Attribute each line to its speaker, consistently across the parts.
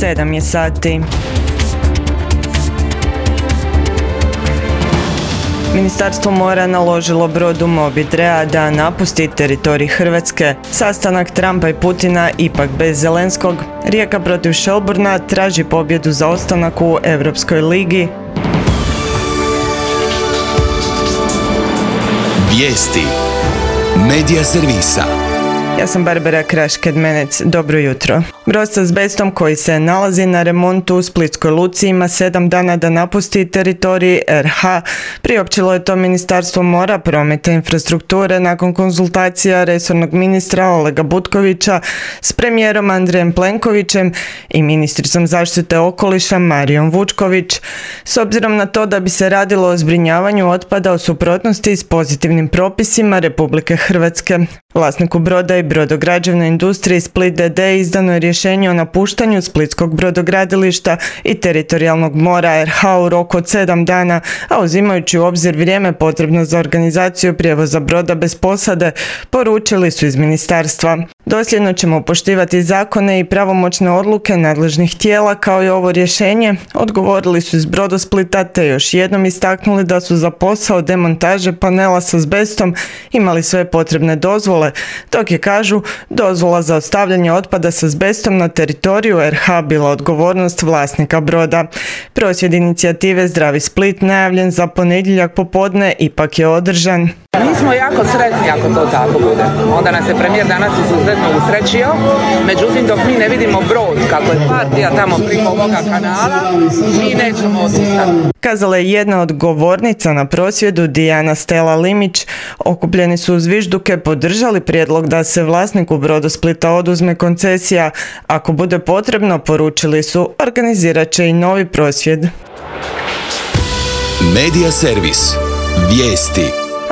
Speaker 1: 7 je sati. Ministarstvo mora naložilo brodu Moby Drea da napusti teritorij Hrvatske. Sastanak Trumpa i Putina ipak bez Zelenskog. Rijeka protiv Shelbourna traži pobjedu za ostanak u Europskoj ligi.
Speaker 2: Vijesti Medija servisa.
Speaker 1: Ja sam Barbara Kraš-Kedmenec. Dobro jutro. Brod s azbestom koji se nalazi na remontu u Splitskoj luci ima 7 dana da napusti teritorij RH. Priopćilo je to Ministarstvo mora, prometa i infrastrukture nakon konzultacija resornog ministra Olega Butkovića s premijerom Andrejem Plenkovićem i ministricom zaštite okoliša Marijom Vučković. S obzirom na to da bi se radilo o zbrinjavanju otpada u suprotnosti s pozitivnim propisima Republike Hrvatske. Vlasniku broda i brodograđevnoj industriji Split d.d. izdano je rješenje o napuštanju Splitskog brodogradilišta i teritorijalnog mora RH u roku od 7 dana, a uzimajući u obzir vrijeme potrebno za organizaciju prijevoza broda bez posade, poručili su iz ministarstva. Dosljedno ćemo poštivati zakone i pravomoćne odluke nadležnih tijela kao i ovo rješenje, odgovorili su iz Brodosplita te još jednom istaknuli da su za posao demontaže panela s azbestom imali sve potrebne dozvole, dok je, kažu, dozvola za ostavljanje otpada s azbestom na teritoriju RH bila odgovornost vlasnika broda. Prosvjed inicijative Zdravi Split najavljen za ponedjeljak popodne ipak je održan.
Speaker 3: Mi smo jako sretni ako to tako bude. Onda nas je premijer danas izuzetno usrećio, međutim dok mi ne vidimo brod kako je partija tamo preko ovoga kanala, mi nećemo odustati.
Speaker 1: Kazala je jedna od govornica na prosvjedu, Dijana Stela Limić. Okupljeni su uz vižduke podržali prijedlog da se vlasniku Brodosplita oduzme koncesija. Ako bude potrebno, poručili su, organizirat će i novi prosvjed.
Speaker 2: Medija servis. Vijesti.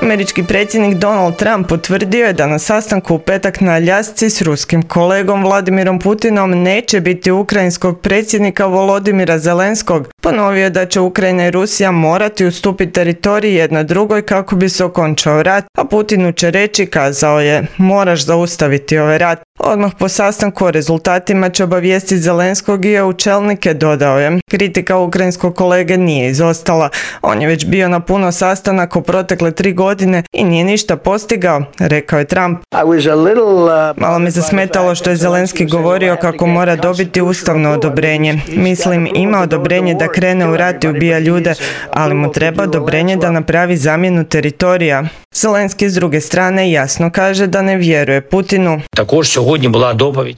Speaker 1: Američki predsjednik Donald Trump potvrdio je da na sastanku u petak na Aljasci s ruskim kolegom Vladimirom Putinom neće biti ukrajinskog predsjednika Volodimira Zelenskog. Ponovio je da će Ukrajina i Rusija morati ustupiti teritorij jedna drugoj kako bi se okončao rat, a Putinu će reći, kazao je, moraš zaustaviti ovaj rat. Odmah po sastanku o rezultatima će obavijestiti Zelenskog i EU čelnike, dodao je. Kritika ukrajinskog kolege nije izostala. On je već bio na puno sastanaka u protekle 3 godine i nije ništa postigao, rekao je Trump. Malo me zasmetalo što je Zelenski govorio kako mora dobiti ustavno odobrenje. Mislim, ima odobrenje da krene u rat i ubija ljude, ali mu treba odobrenje da napravi zamjenu teritorija. Zelenski s druge strane jasno kaže da ne vjeruje Putinu.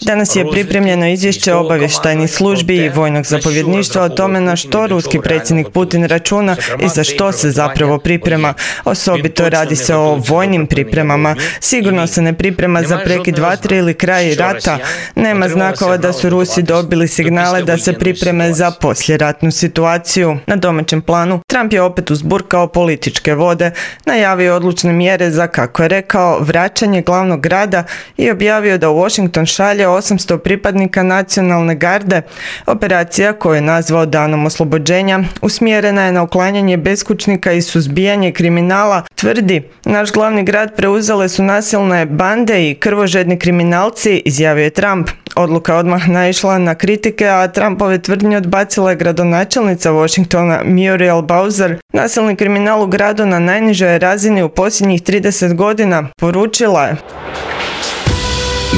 Speaker 1: Danas je pripremljeno izvješće obavještajnih službi i vojnog zapovjedništva o tome na što ruski predsjednik Putin računa i za što se zapravo priprema. Osobito radi se o vojnim pripremama. Sigurno se ne priprema za prekid vatre ili kraj rata. Nema znakova da su Rusi dobili signale da se pripreme za poslijeratnu situaciju. Na domaćem planu Trump je opet uzburkao političke vode, najavio odlučne mjere za, kako je rekao, vraćanje glavnog grada i objavio da u Washington šalje 800 pripadnika nacionalne garde. Operacija, koju je nazvao Danom oslobođenja, usmjerena je na uklanjanje beskućnika i suzbijanje kriminala. Tvrdi, naš glavni grad preuzele su nasilne bande i krvožedni kriminalci, izjavio je Trump. Odluka odmah naišla na kritike, a Trumpove tvrdnje odbacila je gradonačelnica Washingtona Muriel Bowser. Nasilni kriminal u gradu na najnižoj razini u posljednjih 30 godina, poručila je.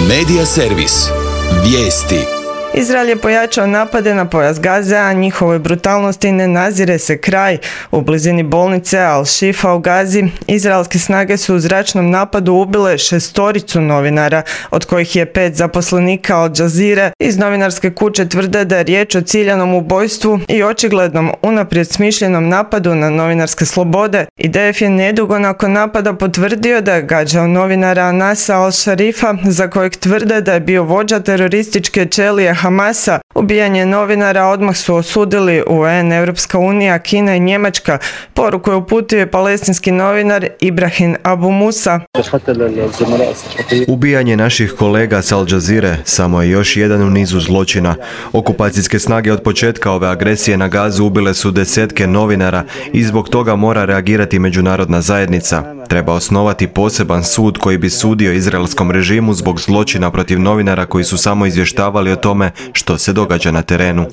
Speaker 2: Medija servis. Vijesti.
Speaker 1: Izrael je pojačao napade na pojas Gaze, a njihovoj brutalnosti ne nazire se kraj. U blizini bolnice Al-Shifa u Gazi izraelske snage su u zračnom napadu ubile 6 novinara, od kojih je 5 zaposlenika Al Jazeere. Iz novinarske kuće tvrde da je riječ o ciljanom ubojstvu i očiglednom unaprijed smišljenom napadu na novinarske slobode. IDF je nedugo nakon napada potvrdio da je gađao novinara Anasa Al-Sharifa, za kojeg tvrde da je bio vođa terorističke ćelije Hamasa. Ubijanje novinara odmah su osudili UN, Europska unija, Kina i Njemačka. Poruku je uputio palestinski novinar Ibrahim Abu Musa.
Speaker 4: Ubijanje naših kolega s Al Jazeere samo je još jedan u nizu zločina. Okupacijske snage od početka ove agresije na Gazu ubile su desetke novinara i zbog toga mora reagirati međunarodna zajednica. Treba osnovati poseban sud koji bi sudio izraelskom režimu zbog zločina protiv novinara koji su samo izvještavali o tome što se događa na terenu.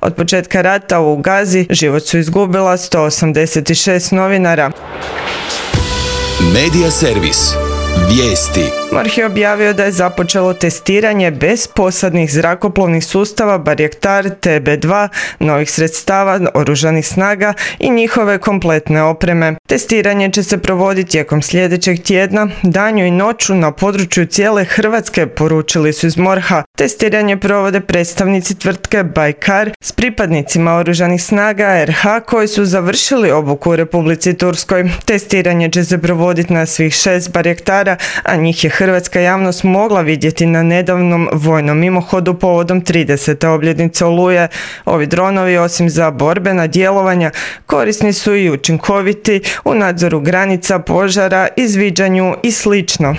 Speaker 1: Od početka rata u Gazi život su izgubila 186 novinara.
Speaker 2: Medija servis. Vijesti.
Speaker 1: MORH je objavio da je započelo testiranje bez posadnih zrakoplovnih sustava Bayraktar TB2, novih sredstava oružanih snaga i njihove kompletne opreme. Testiranje će se provoditi tijekom sljedećeg tjedna, danju i noću na području cijele Hrvatske, poručili su iz MORH-a. Testiranje provode predstavnici tvrtke Baykar s pripadnicima oružanih snaga RH koji su završili obuku u Republici Turskoj. Testiranje će se provoditi na svih 6 Bayraktara, a njih je hrvatska javnost mogla vidjeti na nedavnom vojnom mimohodu povodom 30. obljetnice Oluje. Ovi dronovi, osim za borbena djelovanja, korisni su i učinkoviti u nadzoru granica, požara, izviđanju i slično.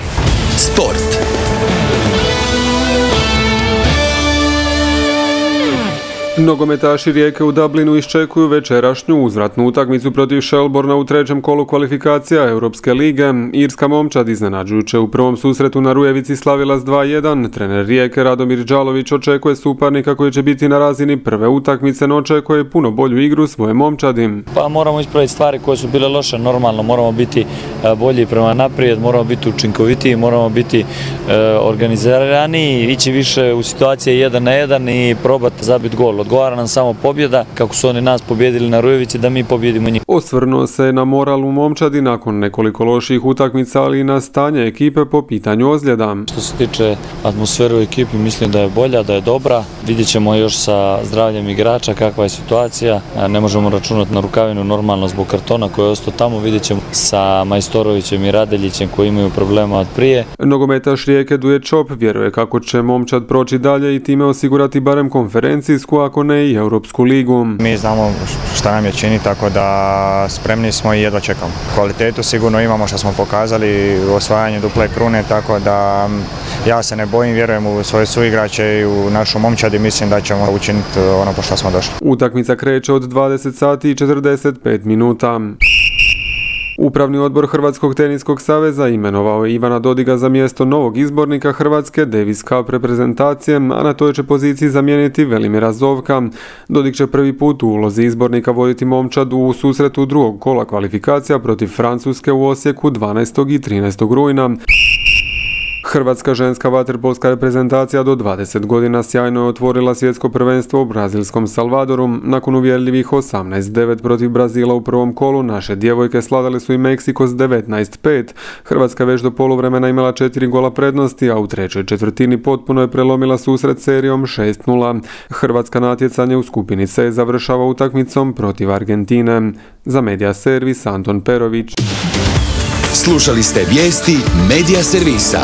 Speaker 2: Sport.
Speaker 5: Nogometaši Rijeke u Dublinu iščekuju večerašnju uzvratnu utakmicu protiv Shelbourna u trećem kolu kvalifikacija Europske lige. Irska momčad iznenađujuće u prvom susretu na Rujevici slavila s 2-1. Trener Rijeke Radomir Đalović očekuje suparnika koji će biti na razini prve utakmice, no očekuje puno bolju igru svoje momčadi.
Speaker 6: Pa moramo ispraviti stvari koje su bile loše, normalno moramo biti bolji prema naprijed, moramo biti učinkovitiji, moramo biti organizirani, ići više u situacije 1 na 1 i probati zabiti gol. Odgovara nam samo pobjeda, kako su oni nas pobjedili na Rujevici, da mi pobjedimo njih.
Speaker 5: Osvrnuo se na moral u momčadi nakon nekoliko loših utakmica, ali i na stanje ekipe po pitanju ozljeda.
Speaker 6: Što se tiče atmosfere u ekipi, mislim da je bolja, da je dobra. Vidjet ćemo još sa zdravljem igrača kakva je situacija. Ne možemo računati na Rukavinu normalno zbog kartona koji je ostao tamo. Vidjet ćemo sa Majstorovićem i Radeljićem koji imaju problema od prije.
Speaker 5: Nogometaš Rijeke Duje Čop vjeruje kako će momčad proći dalje i time osigurati barem konferencijsku, ako ne i Europsku ligu.
Speaker 7: Mi znamo šta nam je čini, tako da spremni smo i jedva čekamo. Kvalitetu sigurno imamo što smo pokazali u osvajanju duple krune, tako da ja se ne bojim, vjerujem u svoje suigrače i u našu momčad i mislim da ćemo učiniti ono po što smo došli.
Speaker 5: Utakmica kreće od 20 sati i 45 minuta. Upravni odbor Hrvatskog teniskog saveza imenovao je Ivana Dodiga za mjesto novog izbornika Hrvatske Davis Cup reprezentacije, a na toj će poziciji zamijeniti Velimira Zovka. Dodig će prvi put u ulozi izbornika voditi momčad u susretu drugog kola kvalifikacija protiv Francuske u Osijeku 12. i 13. rujna. Hrvatska ženska vaterpolska reprezentacija do 20 godina sjajno je otvorila svjetsko prvenstvo u brazilskom Salvadoru. Nakon uvjerljivih 18-9 protiv Brazila u prvom kolu, naše djevojke sladale su i Meksiko s 19-5. Hrvatska već do poluvremena imala 4 gola prednosti, a u trećoj četvrtini potpuno je prelomila susret serijom 6-0. Hrvatska natjecanje u skupini C završava utakmicom protiv Argentine. Za Medija servis Anton Perović.
Speaker 2: Slušali ste vijesti Medija servisa.